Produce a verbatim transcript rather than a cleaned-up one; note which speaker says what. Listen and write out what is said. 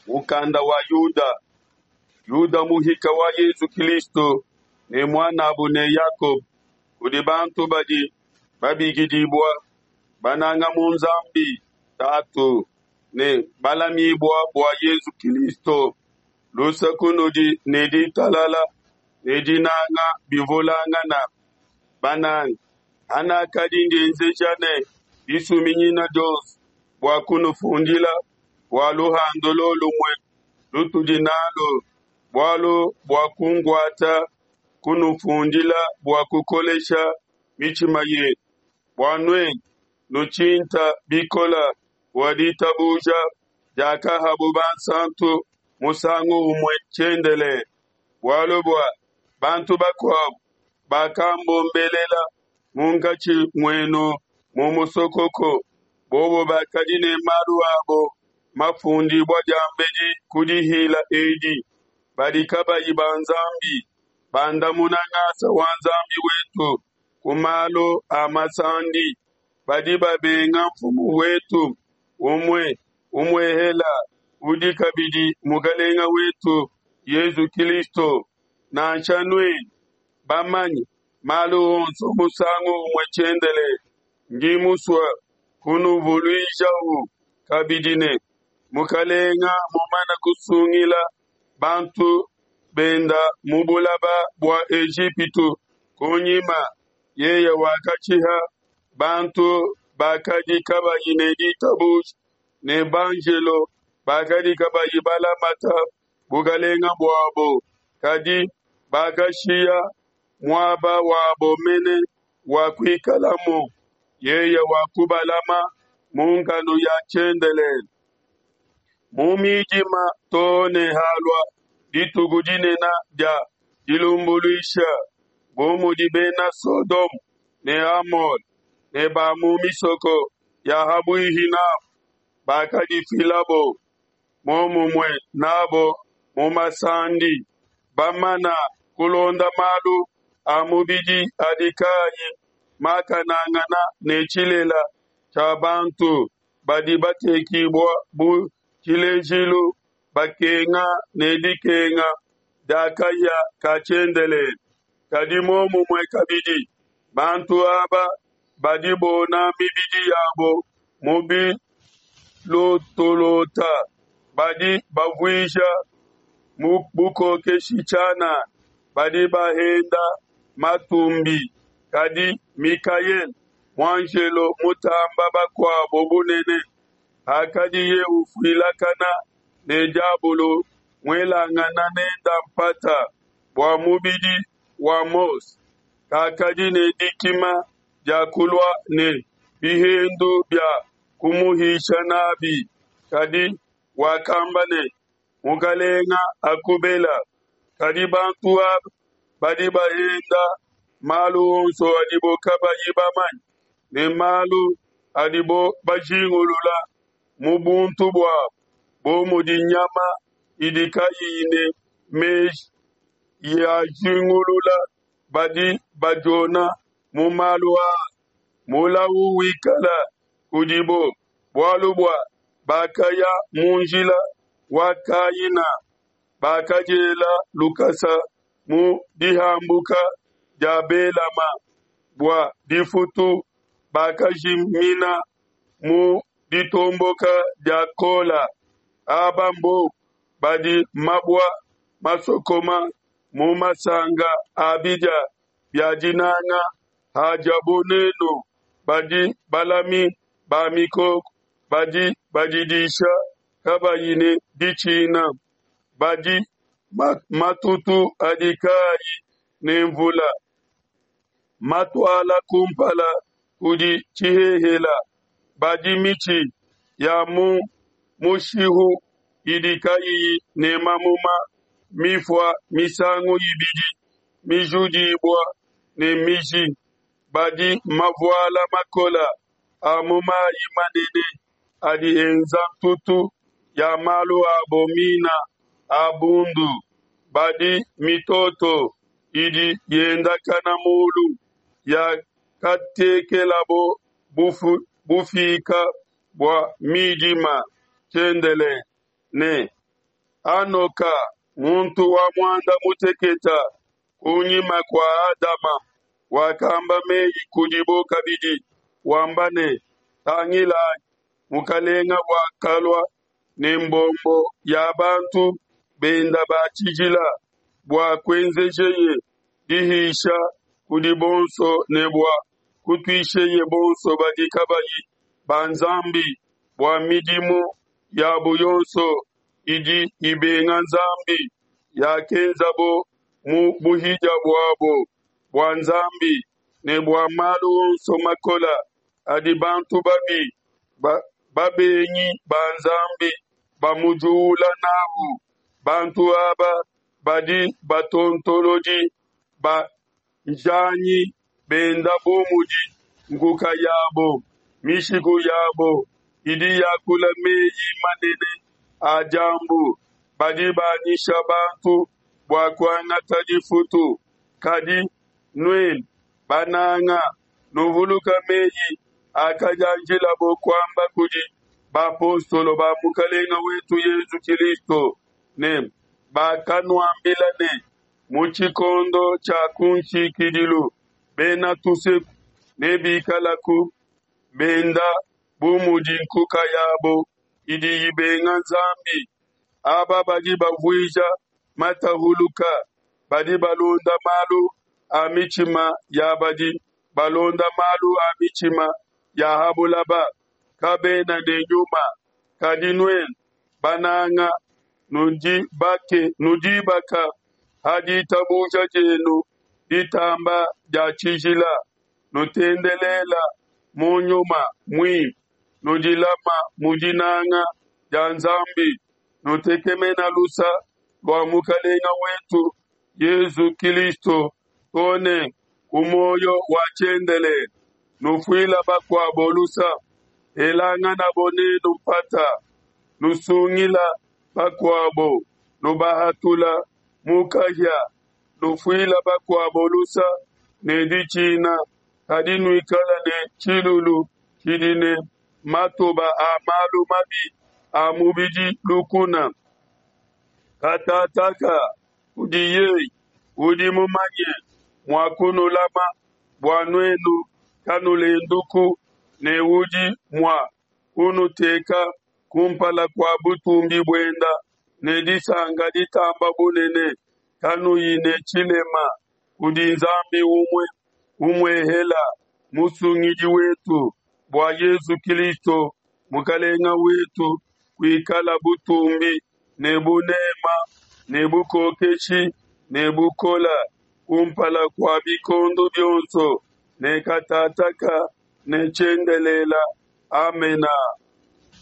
Speaker 1: Mukanda wa Yuda. Yuda, muhika wa Yesu Kilisto ne muan'abo ne Yakobo, kudi bantu badi babikidibua, bananga mu Nzambi Tatu, ne balamibua bua Yesu Kilisto: Luse kunudi ne ditalala ne dinanga bivulangana. Bananga, hanakadi ndienzeja ne disuminyina dionso bua kunufundila bua luhandu lolumue lutudi nalu, bualu buakunkuata kunufundila bua kukolesha mitshima yenu, bua nuenu nutshinta bikole bua ditabuja diakahabo bansanto musangu umue tshiendelele. Bualu bua bantu bakuabo bakambombelela munkatshi muenu mu musokoko, bobo bakadi ne malu abo mafundibua diambedi ku dihila edi, badi kabayi ba Nzambi, bandamuna ngasa wa Nzambi wetu ku malu a masandi, badi babenga Nfumu wetu umue umuehela, udi kabidi Mukelenge wetu Yesu Kilisto. Nansha nuenu bamanye malu onso musangu umue tshiendelele, ndi musue kunuvuluijau kabidi ne, Mukelenge mumane kusungila bantu benda mu bulaba bua Ejipitu kunyima, yeye wakashiha bantu bakadi kabayi ne ditabuja ne banjelo bakadi kabayi balamata bukelenge buabo, kadi bakashiya muaba wabo mene wa kuikalamu, yeye wakubalama mu nkanu ya tshiendelele, mu midima to ne halua dituku dinene dia dilumbuluisha, bu mudi Bena Sodoma ne Amola ne ba mu misoko ya ha buihi n'abo bakadifilabo muomumue n'abo mu masandi, bamana kulonda malu a mubidi adi kayi makanangana ne tshilele tshia bantu badi batekibua bu tshilejilu, bakenga ne dikenga dia kahia ka tshiendelele. Kadi muomumue kabidi, bantu aba badi bona mibidi yabo mu bilotolota, badi bavuisha bukokeshi tshianana, badi bahenda matumbi. Kadi Mikaele, muanjelo mutamba bakuabo bunene, hakadiye ufuilakana ne diabolo, muelangana nende mpata bua mubidi wa Mose, kakadi ne dikima dia kulua ne bihendu bia kumuhisha n'abi, kadi wakamba ne, Mukelenge akubela. Kadi bantu aba badi bahenda malu onso adibo kabayi bamanye, ne malu adibo bajingulula mu buntu buabo, bu mudi nyama idi kayiyi ne meji yajingulula, badi badiona mu malu aa. Mulau wikala kudibo, bualu bua bakaya mu njila wa Kaina, bakadiela lukasa mu dihambuka dia Belama. Bua difutu bakajimina mu ditomboka dia Kola. Aba mbobo badi mabua masokoma mu masanka a bidia bia dinanga hadiabo n'enu, badi balami ba mikoko badi badidisha kabayi ne ditshina, badi matutu adi kayi ne nvula, matuala kumpala kudi tshihehela, badi mitshi ya mu mushihu idi kayiyi ne mamuma, mifua misangu ibidi, mijudibua ne miji, badi mavuala makole a mu mai manene adi enza ntutu ya malu abo mina a bundu, badi mitoto idi yendakana mulu, yakatekelabo bufika bua midima tshiendelele, ne Hanoka, muntu wa muanda mutekete kunyima kua Adama, wakamba meyi kudibo kabidi, wamba ne, Tangilayi, Mukalenga wakalua ne mbombo ya bantu benda ba tshijila, bua kuenzejeye dihisha kudi bonso ne bua kutuisheye bonso badi kabayi ba Nzambi bua midimu yabo yonso idi ibenga Nzambi yakenzabo mu buhidia buabo bua Nzambi ne bua malu onso makole adi bantu babi ba, babengi ba Nzambi bamujuula n'au. Bantu aba badi batontolodi ba njanyi benda bu mudi nkuka yabo, mishiku yabo idi yakula meyi manene a diambu, badi banyisha bantu bua kuangata difutu. Kadi nuenu, bananga, nuvuluka meyi akadianjilabo kuamba kudi bapostolo ba Mukelenge wetu Yesu Kilisto ne bakanuambila ne, Mu tshikondo tshia kunshikidilu bena tuseku nebikalaku benda bu mudi nkuka yabo idi ibenga Nzambi. Aba badi bavuija matahuluka, badi balonda malu a mitshima ya badi balonda malu a mitshima ya ha bulaba, kabena ne Nyuma. Kadi nuenu, bananga, nudibake nudibaka ha ditabuja dienu ditamba dia tshijila, nutendelela mu Nyuma Muimpe, nudilama mu dinanga dia Nzambi, nutekemena lusa lua Mukelenge wetu Yesu Kilisto to ne ku muoyo wa tshiendelele. Nufuila bakuabo lusa, elanganabo nenu mpata, nusungila bakuabo, nubahatula mu kahia, nufuila bakuabo lusa ne ditshina, kadi nuikala ne tshilulu tshidi ne matoba a malu mabi a mubidi lukuna. Katataka kudi yeye udi mumanye mua kunulama bua nuenu kanulenduku, ne udi mua kunuteka kumpala kua butumbi buenda ne disanka ditamba bunene, kanuyi ne tshilema, kudi Nzambi umue umuehela Musungidi wetu, bua Yesu Kilisto Mukelenge wetu, kuikala butumbi ne bunema ne bukokeshi ne bukola kumpala kua bikondo bionso ne katataka ne tshiendelela. Amena.